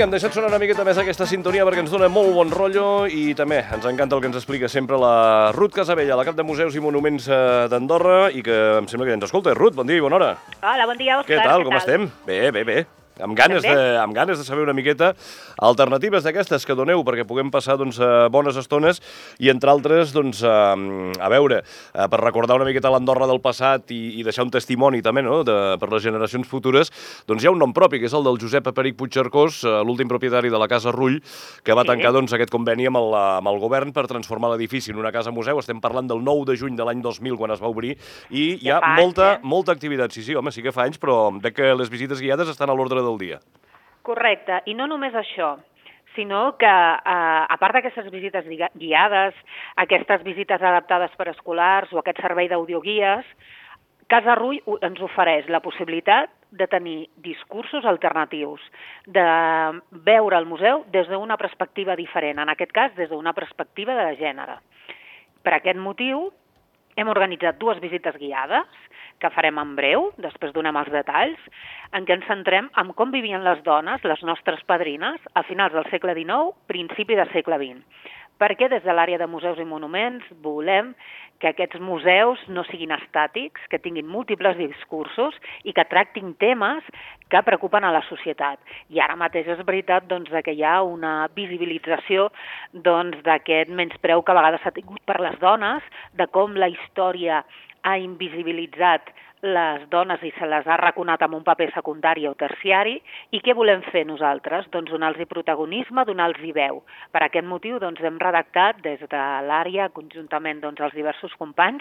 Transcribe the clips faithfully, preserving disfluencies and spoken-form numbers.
Vinga, hem deixat sonar una miqueta més aquesta sintonia perquè ens dona molt bon rotllo i també ens encanta el que ens explica sempre la Ruth Casabella, la cap de Museus i Monuments d'Andorra, i que em sembla que ja ens escolta. Ruth, bon dia i bona hora. Hola, bon dia, Òscar. Què tal, com estem? Bé, bé, bé. Amb ganes, de, amb ganes de saber una miqueta alternatives d'aquestes que doneu perquè puguem passar doncs, bones estones i, entre altres, doncs, a, a veure, per recordar una miqueta l'Andorra del passat i, i deixar un testimoni també, no?, de, per les generacions futures, doncs hi ha un nom propi, que és el del Josep Aperic Puigcercós, l'últim propietari de la Casa Rull, que va tancar doncs, aquest conveni amb el, amb el govern per transformar l'edifici en una casa museu. Estem parlant del nou de juny de l'any dos mil, quan es va obrir, i hi ha molta, molta activitat. Sí, sí, home, sí que fa anys, però veig que les visites guiades estan a l'ordre del dia. Correcte, i no només això, sinó que, eh, a part d'aquestes visites guiades, aquestes visites adaptades per escolars o aquest servei d'audioguies, Casa Rull ens ofereix la possibilitat de tenir discursos alternatius, de veure el museu des d'una perspectiva diferent, en aquest cas des d'una perspectiva de gènere. Per aquest motiu, hem organitzat dues visites guiades, que farem en breu, després donem els detalls, en què ens centrem en com vivien les dones, les nostres padrines, a finals del segle dinou, principi del segle vint. Perquè des de l'àrea de museus i monuments volem que aquests museus no siguin estàtics, que tinguin múltiples discursos i que tractin temes que preocupen a la societat. I ara mateix és veritat doncs, que hi ha una visibilització doncs, d'aquest menyspreu que a vegades s'ha tingut per les dones, de com la història ha invisibilitzat les dones i se les ha raconat amb un paper secundari o terciari. I què volem fer nosaltres? Doncs donar-los protagonisme, donar-los veu. Per aquest motiu doncs, hem redactat des de l'àrea, conjuntament doncs, els diversos companys,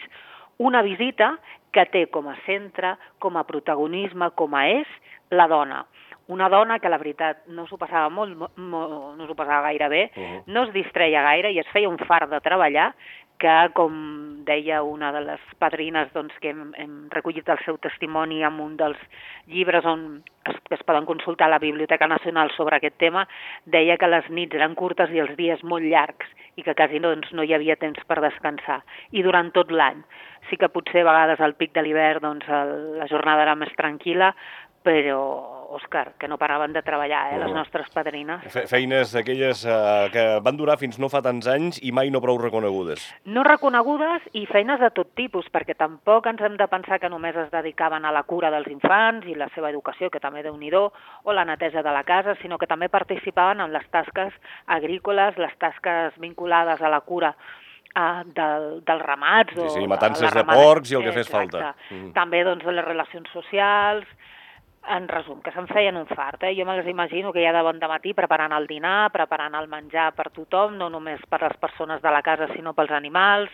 una visita que té com a centre, com a protagonisme, com a eix, la dona. Una dona que, la veritat, no s'ho passava molt, molt, no s'ho passava gaire bé, uh-huh. no es distreia gaire i es feia un fart de treballar, que, com deia una de les padrines doncs, que hem, hem recollit el seu testimoni en un dels llibres on es, que es poden consultar a la Biblioteca Nacional sobre aquest tema, deia que les nits eren curtes i els dies molt llargs i que quasi doncs, no hi havia temps per descansar. I durant tot l'any. Sí que potser a vegades al pic de l'hivern doncs, el, la jornada era més tranquil·la, però, Òscar, que no paraven de treballar, eh, les nostres padrines. Fe feines d'aquelles eh, que van durar fins no fa tants anys i mai no prou reconegudes. No reconegudes i feines de tot tipus, perquè tampoc ens hem de pensar que només es dedicaven a la cura dels infants i la seva educació, que també Déu-n'hi-do, o la neteja de la casa, sinó que també participaven en les tasques agrícoles, les tasques vinculades a la cura Uh, del, dels ramats. Sí, sí, o matances de, de porcs i el que fes falta. Mm. També doncs, les relacions socials. En resum, que se'n feien un fart. Eh? Jo me les imagino que ja de bon dematí preparant el dinar, preparant el menjar per tothom, no només per les persones de la casa, sinó pels animals,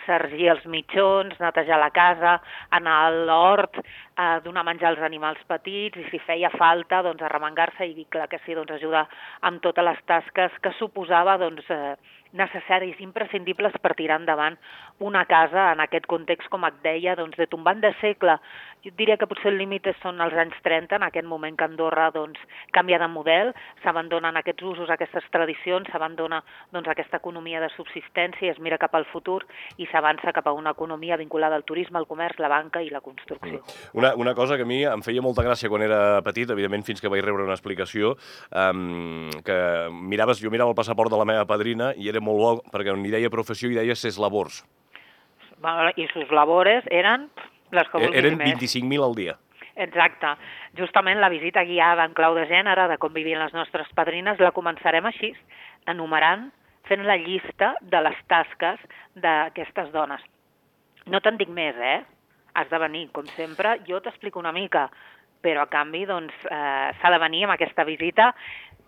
sergir els mitjons, netejar la casa, anar a l'hort, eh, donar menjar als animals petits, i si feia falta, doncs, arremangar-se i, clar que sí, doncs, ajudar amb totes les tasques que suposava doncs, eh, necessaris, imprescindibles per tirar endavant una casa en aquest context, com et deia, doncs, de tombant de segle. Jo diria que potser el límit són els anys trenta, en aquest moment que Andorra doncs, canvia de model, s'abandonen aquests usos, aquestes tradicions, s'abandona doncs, aquesta economia de subsistència, es mira cap al futur i s'avança cap a una economia vinculada al turisme, al comerç, la banca i la construcció. Una, una cosa que a mi em feia molta gràcia quan era petit, evidentment fins que vaig rebre una explicació, um, que miraves, jo mirava el passaport de la meva padrina i era molt bo, perquè on hi deia professió hi deia ses labors. I sus labores eren les que vulguis eren més. vint-i-cinc mil al dia. Exacte. Justament la visita guiada en clau de gènere, de com vivien les nostres padrines, la començarem així, enumerant, fent la llista de les tasques d'aquestes dones. No te'n dic més, eh? Has de venir, com sempre, jo t'explico una mica, però a canvi doncs, eh, s'ha de venir amb aquesta visita,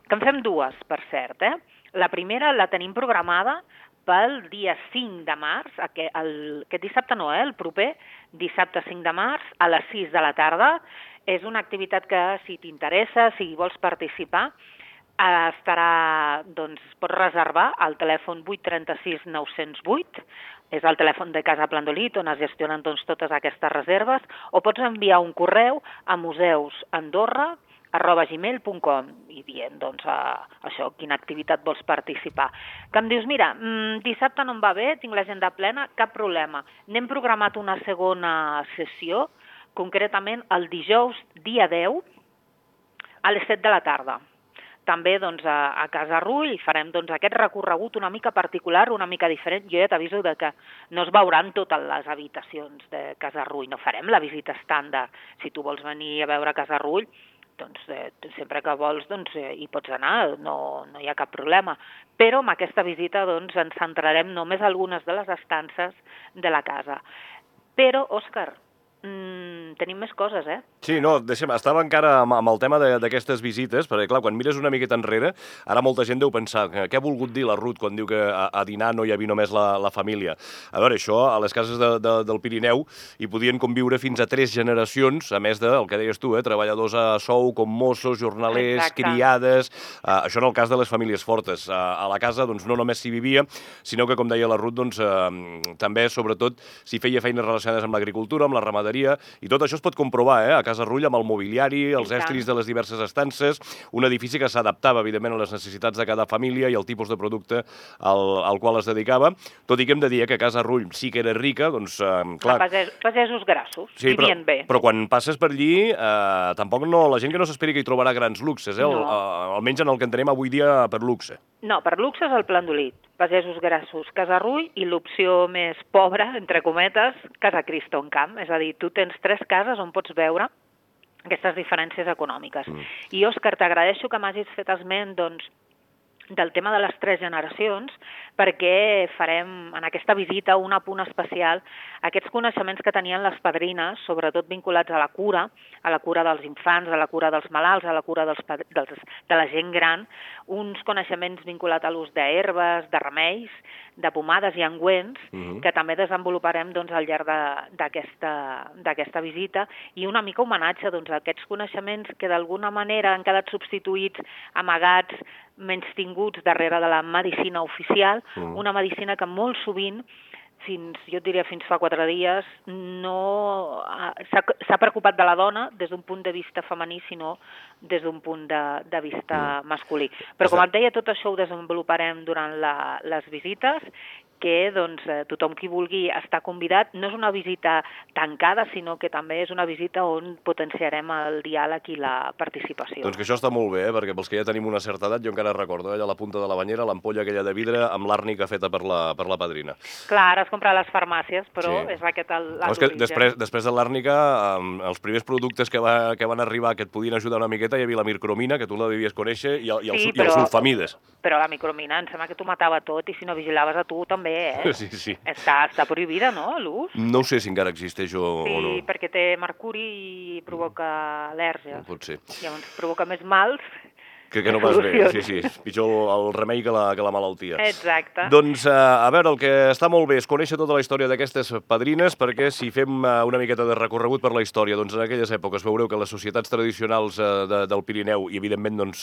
que en fem dues, per cert, eh? La primera la tenim programada pel dia cinc de març, aquest, el, aquest dissabte no, eh, el proper, dissabte cinc de març, a les sis de la tarda. És una activitat que, si t'interessa, si vols participar, eh, estarà, doncs, pots reservar al telèfon vuit tres sis nou zero vuit, és el telèfon de Casa Plandolit, on es gestionen doncs, totes aquestes reserves, o pots enviar un correu a museusandorra arroba gmail punt com i dient, doncs, a, això, quina activitat vols participar. Que em dius, mira, mmm, dissabte no em va bé, tinc l'agenda plena, cap problema. N'hem programat una segona sessió, concretament el dijous, dia deu, a les set de la tarda. també doncs, a, a Casa Rull i farem doncs, aquest recorregut una mica particular, una mica diferent. Jo ja t'aviso de que no es veuran totes les habitacions de Casa Rull, no farem la visita estàndard. Si tu vols venir a veure Casa Rull, doncs eh, sempre que vols doncs, eh, hi pots anar, no, no hi ha cap problema. Però amb aquesta visita doncs, ens centrarem només a algunes de les estances de la casa. Però, Òscar, Mm, tenim més coses, eh? Sí, no, deixa'm, estava encara amb, amb el tema d'aquestes visites, perquè, clar, quan mires una miqueta enrere, ara molta gent deu pensar que què ha volgut dir la Ruth quan diu que a, a dinar no hi havia només la, la família. A veure, això, a les cases de, de, del Pirineu hi podien conviure fins a tres generacions, a més del que deies tu, eh, treballadors a sou, com mossos, jornalers, Exacte. criades... Eh, això en el cas de les famílies fortes. Eh, a la casa, doncs, no només s'hi vivia, sinó que, com deia la Ruth, doncs, eh, també, sobretot, s'hi feia feines relacionades amb l'agricultura, amb la ramaderia, i tot això es pot comprovar, eh, a Casa Rull, amb el mobiliari, els estris de les diverses estances, un edifici que s'adaptava, evidentment, a les necessitats de cada família i al tipus de producte al, al qual es dedicava, tot i que hem de dir que Casa Rull sí que era rica, doncs, eh, clar... Pages, pagesos grassos, sí, vivien però, bé. Però quan passes per allí, eh, tampoc no, la gent que no s'esperi que hi trobarà grans luxes, eh, No. el, eh, almenys en el que entenem avui dia per luxe. No, per luxe és el Plandolit, pagesos grassos, Casa Rull, i l'opció més pobra, entre cometes, Casa Cristo en Camp. És a dir, tu tens tres cases on pots veure aquestes diferències econòmiques. Mm. I, Òscar, t'agraeixo que m'hagis fet esment, doncs, del tema de les tres generacions, perquè farem en aquesta visita un apunt especial a aquests coneixements que tenien les padrines, sobretot vinculats a la cura, a la cura dels infants, a la cura dels malalts, a la cura dels, dels, de la gent gran, uns coneixements vinculats a l'ús d'herbes, de remeis, de pomades i ungüents, mm-hmm. que també desenvoluparem doncs, al llarg d'aquesta visita, i una mica homenatge doncs, a aquests coneixements que d'alguna manera han quedat substituïts, amagats, menys tinguts darrere de la medicina oficial, mm. una medicina que molt sovint, fins, jo et diria fins fa quatre dies, no s'ha preocupat de la dona des d'un punt de vista femení, sinó des d'un punt de, de vista mm. masculí. Però com et deia, tot això ho desenvoluparem durant la, les visites, que doncs, tothom qui vulgui estar convidat. No és una visita tancada, sinó que també és una visita on potenciarem el diàleg i la participació. Doncs que això està molt bé, eh? Perquè pels que ja tenim una certa edat, jo encara recordo, eh? allà a la punta de la banyera, l'ampolla aquella de vidre amb l'àrnica feta per la, per la padrina. Clar, ara es compra a les farmàcies, però sí. és aquest l'origen. No, és que després, després de l'àrnica, um, els primers productes que, va, que van arribar que et podien ajudar una miqueta, hi havia la micromina, que tu la devies conèixer, i, el, i, els, sí, però, i els sulfamides. Però la micromina em sembla que t'ho matava tot, i si no vigilaves a tu també, eh? Sí, sí. Està, està prohibida, no, l'ús? No sé si encara existeix o, sí, o no. Sí, perquè té mercuri i provoca al·lèrgies. Pot ser. Llavors provoca més mals. Que, que no vas bé, sí, sí. És pitjor el remei que la, que la malaltia. Exacte. Doncs, a veure, el que està molt bé és conèixer tota la història d'aquestes padrines, perquè si fem una miqueta de recorregut per la història, doncs en aquelles èpoques veureu que les societats tradicionals de, del Pirineu, i evidentment doncs,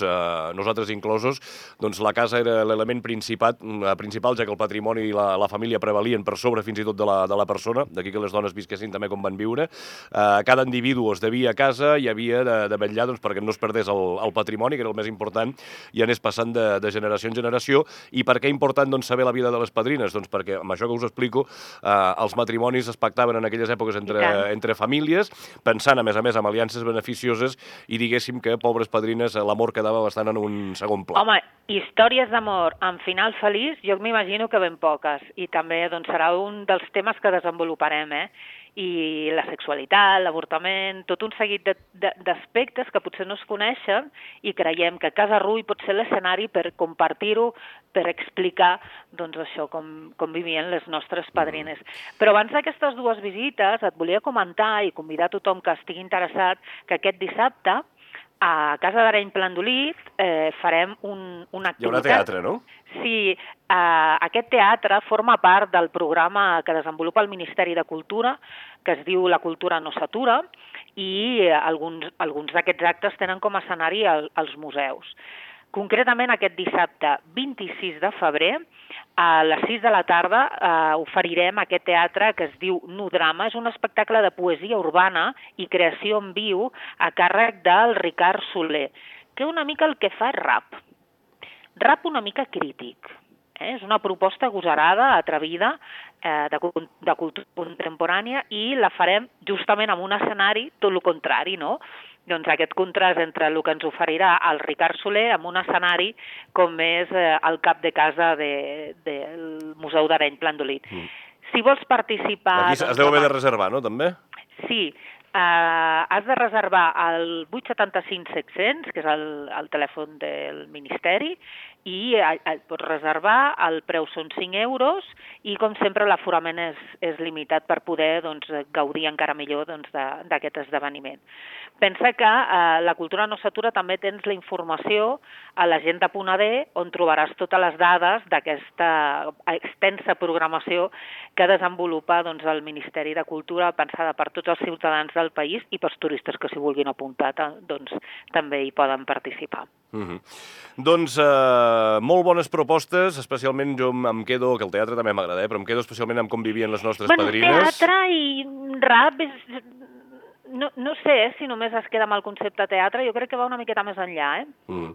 nosaltres inclosos, doncs la casa era l'element principal, principal, ja que el patrimoni i la, la família prevalien per sobre fins i tot de la, de la persona, d'aquí que les dones visquessin també com van viure. Cada individu es devia a casa i havia de, de vetllar doncs, perquè no es perdés el, el patrimoni, que era el més important, important i anés passant de, de generació en generació. I per què important doncs, saber la vida de les padrines? Doncs perquè, amb això que us explico, eh, els matrimonis es pactaven en aquelles èpoques entre, entre famílies, pensant, a més a més, en aliances beneficioses, i diguéssim que, pobres padrines, l'amor quedava bastant en un segon pla. Home, històries d'amor amb final feliç, jo m'imagino que ben poques, i també doncs, serà un dels temes que desenvoluparem, eh? I la sexualitat, l'avortament, tot un seguit d'aspectes que potser no es coneixen i creiem que Casa Rull pot ser l'escenari per compartir-ho, per explicar doncs, això, com, com vivien les nostres padrines. Però abans d'aquestes dues visites et volia comentar i convidar tothom que estigui interessat que aquest dissabte a Casa d'Areny Plandolit eh, farem un, una activitat. Hi haurà teatre, no? Sí, eh, aquest teatre forma part del programa que desenvolupa el Ministeri de Cultura, que es diu La cultura no s'atura, i eh, alguns, alguns d'aquests actes tenen com a escenari el, els museus. Concretament aquest dissabte vint-i-sis de febrer, a les sis de la tarda eh, oferirem aquest teatre que es diu Nudrama. És un espectacle de poesia urbana i creació en viu a càrrec del Ricard Soler, que una mica el que fa és rap. Rap una mica crític. Eh? És una proposta agosarada, atrevida, eh, de, de cultura contemporània, i la farem justament en un escenari tot el contrari, no? doncs, aquest contrast entre el que ens oferirà el Ricard Soler amb un escenari com és eh, el cap de casa de, del Museu d'Areny Plandolit. Mm. Si vols participar... Aquí es deu haver de reservar, no, també? Sí, Uh, has de reservar el vuit setanta cinc set cents, que és el, el telèfon del Ministeri, i uh, pots reservar, el preu són cinc euros, i com sempre l'aforament és, és limitat per poder doncs, gaudir encara millor doncs, d'aquest esdeveniment. Pensa que uh, la Cultura no s'atura també tens la informació a l'agenda punt a de, on trobaràs totes les dades d'aquesta extensa programació que desenvolupa doncs, el Ministeri de Cultura, pensada per tots els ciutadans del país i pels turistes que s'hi vulguin apuntar, doncs també hi poden participar. Mm-hmm. Doncs eh, molt bones propostes, especialment jo em quedo, que el teatre també m'agrada, eh, però em quedo especialment amb com vivien les nostres bueno, padrines. Teatre i rap és... No, no sé eh, si només es queda amb el concepte teatre, jo crec que va una miqueta més enllà, eh? Mm.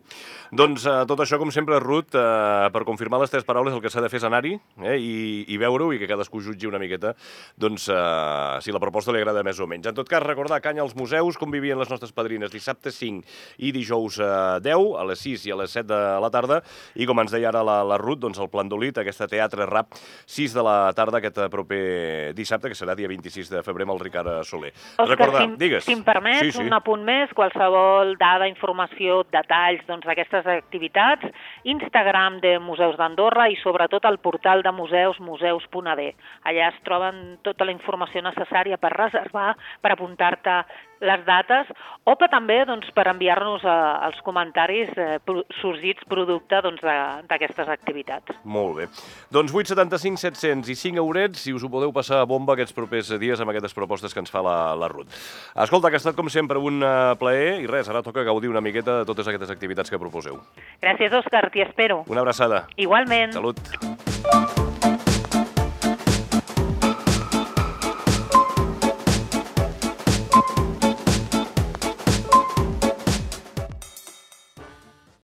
Doncs eh, tot això, com sempre, Ruth, eh, per confirmar les teves paraules, el que s'ha de fer és anar-hi eh, i, i veure-ho i que cadascú jutgi una miqueta doncs, eh, si la proposta li agrada més o menys. En tot cas, recordar Canya als museus, com vivien les nostres padrines dissabte cinc i dijous eh, deu, a les sis i a les set de la tarda, i com ens deia ara la, la Ruth, doncs el Plandolit, aquesta teatre rap, sis de la tarda aquest proper dissabte, que serà dia vint-i-sis de febrer amb el Ricard Soler. Òscar, Recordar, si, digues. Si em permets, sí, sí. un apunt més, qualsevol dada, informació, detalls doncs, d'aquestes activitats, Instagram de Museus d'Andorra i sobretot el portal de museus, museus punt a de. Allà es troben tota la informació necessària per reservar, per apuntar-te les dates, o per també doncs, per enviar-nos eh, els comentaris eh, sorgits producte d'aquestes doncs, activitats. Molt bé. Doncs vuit setanta cinc set cents i cinc eurets, si us ho podeu passar a bomba aquests propers dies amb aquestes propostes que ens fa la, la Ruth. Escolta, que ha estat com sempre un uh, plaer i res, ara toca gaudir una miqueta de totes aquestes activitats que proposeu. Gràcies, Òscar, t'hi espero. Una abraçada. Igualment. Salut.